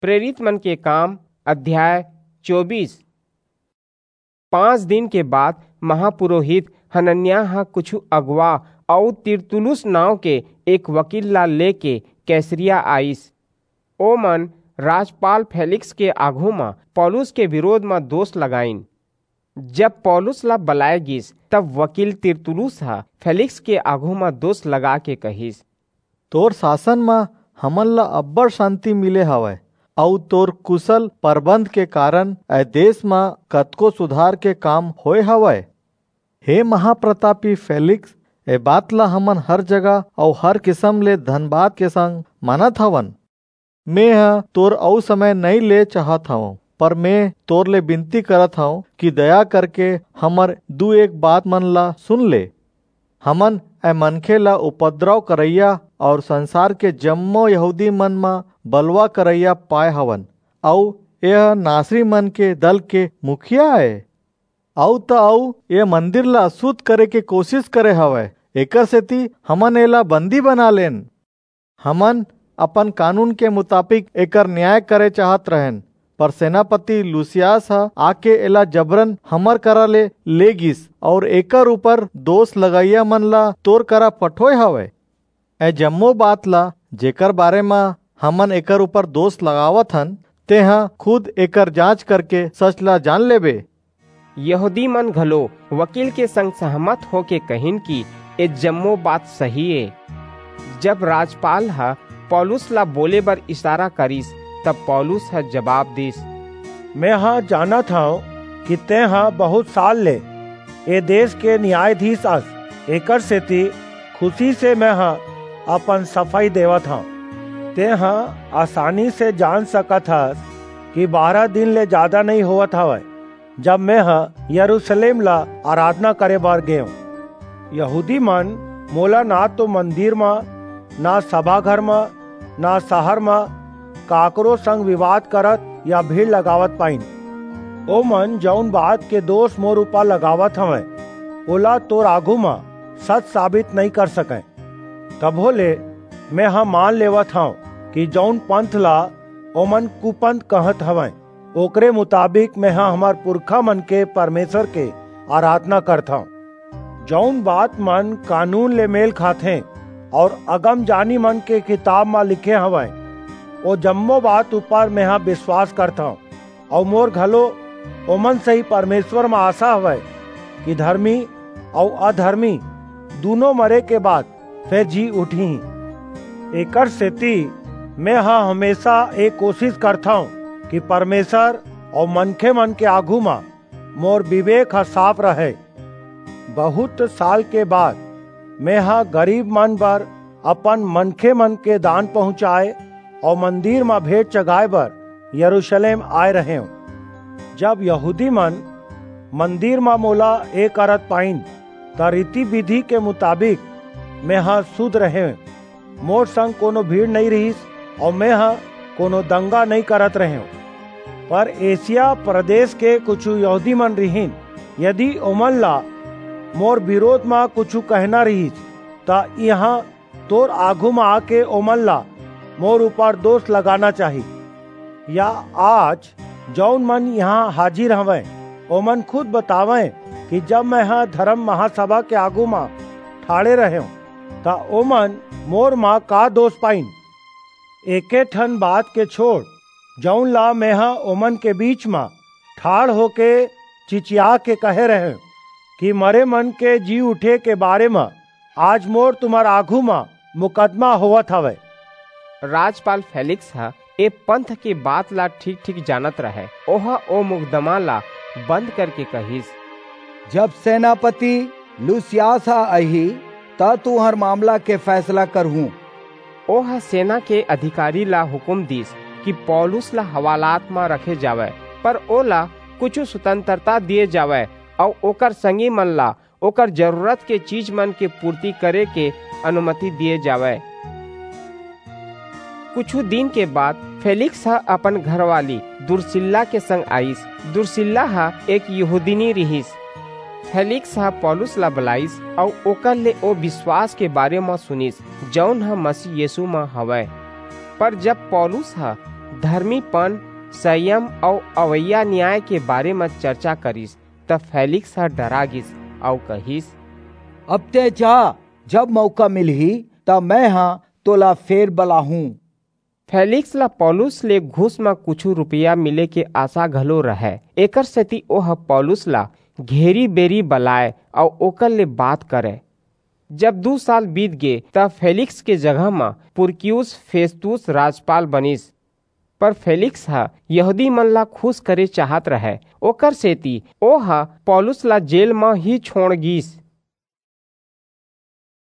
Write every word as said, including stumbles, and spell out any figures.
प्रेरित मन के काम, अध्याय चौबीस। पांच दिन के बाद महापुरोहित हनन्याह ह कुछु अगुवा अऊ तिरतुलुस नांव के एक वकील ला लेके कैसरिया आइस। ओमन राजपाल फेलिक्स के आघू म पौलुस के विरोध म दोष लगाइन। जब पौलुस ला बलाय गिस, तब वकील तिरतुलुस ह फेलिक्स के आघू म दोष लगा के कहिस, "तोर शासन म हमन ला अब्बड़ शांति मिले हवय, अऊ तोर कुशल परबंध के कारण ए देश म कतको सुधार के काम होय हवय। हे महाप्रतापी फेलिक्स, ए बात ला हमन हर जगह अऊ हर किसम ले धनबाद के संग मानत हवन। मेंह तोर अऊ समय नइं ले चाहत हवं, पर मेंह तोर ले बिनती करत हवं कि दया करके हमर दू एक बात मन ला सुन ले। हमन ए मनखे ला उपद्रव करइया अऊ संसार के जम्मो यहूदी मन म बलवा करइया पाय हवन, अऊ एह नासरी मन के दल के मुखिया ए। अऊ त अऊ ए मंदिर ला अशुद्ध करे के कोशिश करे हवय, एकर सेती हमन एला बंदी बना लेन। हमन अपन कानून के मुताबिक एकर न्याय करे चाहत रहेन, पर सेनापति लूसियास ह आके एला जबरन हमर करा ले, ले गिस अऊ एकर ऊपर दोष लगइया मन ला तोर करा पठोय हवय। ए जम्मो बात ला, जेकर बारे म हमन एकर ऊपर दोष लगावत हन, तेंह खुद एकर जांच करके सच ला जान लेबे।" यहूदी मन घलो वकील के संग सहमत होके कहिन कि ए जम्मो बात सही ए। जब राजपाल ह पौलुस ला बोले बर इशारा करिस, तब पौलुस ह जवाब दिस, "मेंह जानत हंव कि तेंह बहुत साल ले ए देश के न्यायाधीश अस, एकर सेती खुशी से मेंह अपन सफाई देवत हंव। तेंह आसानी से जान सकत हस कि बारह दिन ले जादा नइं होवत हवय, जब मेंह यरूशलेम ला आराधना करे बर गेंव। यहूदी मन मोला ना तो मंदिर म, ना सभाघर म, ना सहर म काकरो संग विवाद करत या भीड़ लगावत पाइन। ओमन जऊन बात के दोष मोर ऊपर लगावत हवंय, ओला तोर आघू म सच साबित नइं कर सकंय। तभो ले मेंह मान लेवत हंव कि जऊन पंथ ला ओमन कुपंथ कहत हवंय, ओकरे मुताबिक मेंह हमर पुरखा मन के परमेसर के आराधना करथंव। जऊन बात मन कानून ले मेल खाथें अऊ अगमजानी मन के किताब म लिखे हवंय, ओ जम्मो बात ऊपर मेंह बिसवास करथंव, अऊ मोर घलो ओमन सही परमेसर म आसा हवय कि धरमी अऊ अधरमी दूनों मरे के बाद फेर जी उठहीं। एकर सेती मेंह हमेसा ए कोसिस करथंव कि परमेसर अऊ मनखे मन के आघू म मोर बिबेक ह साफ रहय। बहुत साल के बाद मेंह गरीब मन बर अपन मनखे मन के दान पहुंचाय अऊ मंदिर म भेंट चघाय बर यरूसलेम आय रहेंव। जब यहूदी मन मंदिर म मोला ए करत पाइन, त रीति-बिधि के मुताबिक मेंह सुध रहेंव। मोर संग कोनो भीड़ नइं रिहिस अऊ मेंह कोनो दंगा नइं करत रहेंव। पर एसिया प्रदेस के कुछू यहूदी मन रिहिन, यदि ओमन ला मोर बिरोध म कुछू कहना रिहिस, त इहां तोर आघू म आके ओमन ला मोर ऊपर दोष लगाना चाही। या आज जऊन मन इहां हाजिर हवंय, ओमन खुद बतावंय कि जब मेंह धरम महासभा के आघू म ठाढ़े रहेंव, त ओमन मोर म का दोष पाइन? एके ठन बात के छोड़, जऊन ला मेंह ओमन के बीच म ठाढ़ होके चिचिया के कहे रहेंव कि मरे मन के जी उठे के बारे म आज मोर तुम्हर आघू म मुकदमा होवत हवय। राजपाल फेलिक्स ह ए पंथ के बात ला ठीक-ठीक जानत रहय। ओह ओ मुकदमा ला बंद करके कहिस, "जब सेनापति लूसियास ह आही, त तुंहर मामला के फैसला करहूं।" ओह सेना के अधिकारी ला हुकूम दीस कि पौलुस ला हवालात म रखे जावय, पर ओला कुछू स्वतंत्रता दिये जावय अऊ ओकर संगी मन ला ओकर जरूरत के चीज मन के पूर्ति करे के अनुमति दिये जावय। कुछू दिन के बाद फेलिक्स ह अपन घरवाली दुर्सिल्ला के संग आईस। दुर्सिल्ला ह एक यहूदिनी रिहिस। फेलिक्स ह पौलुस ला बलाईस अऊ ओकर ले ओ बिसवास के बारे म सुनिस, जऊन ह मसीह यीसू म हवय। पर जब पौलुस ह धर्मीपन, संयम अउ अवइया न्याय के बारे म चर्चा करिस, त फेलिक्स ह डरा गिस अउ कहिस, "अब तैं जा, जब मौका मिलही, त मैं ह तोला फेर बलाहूं।" फेलिक्स ला पौलुस ले घूस म कुछु रुपया मिले के आशा घलो रहय। एकर सेती ओह पौलुस ला घेरी बेरी बलाय अउ ओकर ले बात करय। जब दू साल बीत गे, त फेलिक्स के जगह म पुरकियुस फेस्तुस राजपाल बनिस। पर फेलिक्स ह यहूदी मन ला खुश करे चाहत रहय, ओकर सेती ओह पौलुस ला जेल म ही छोड़ गीस।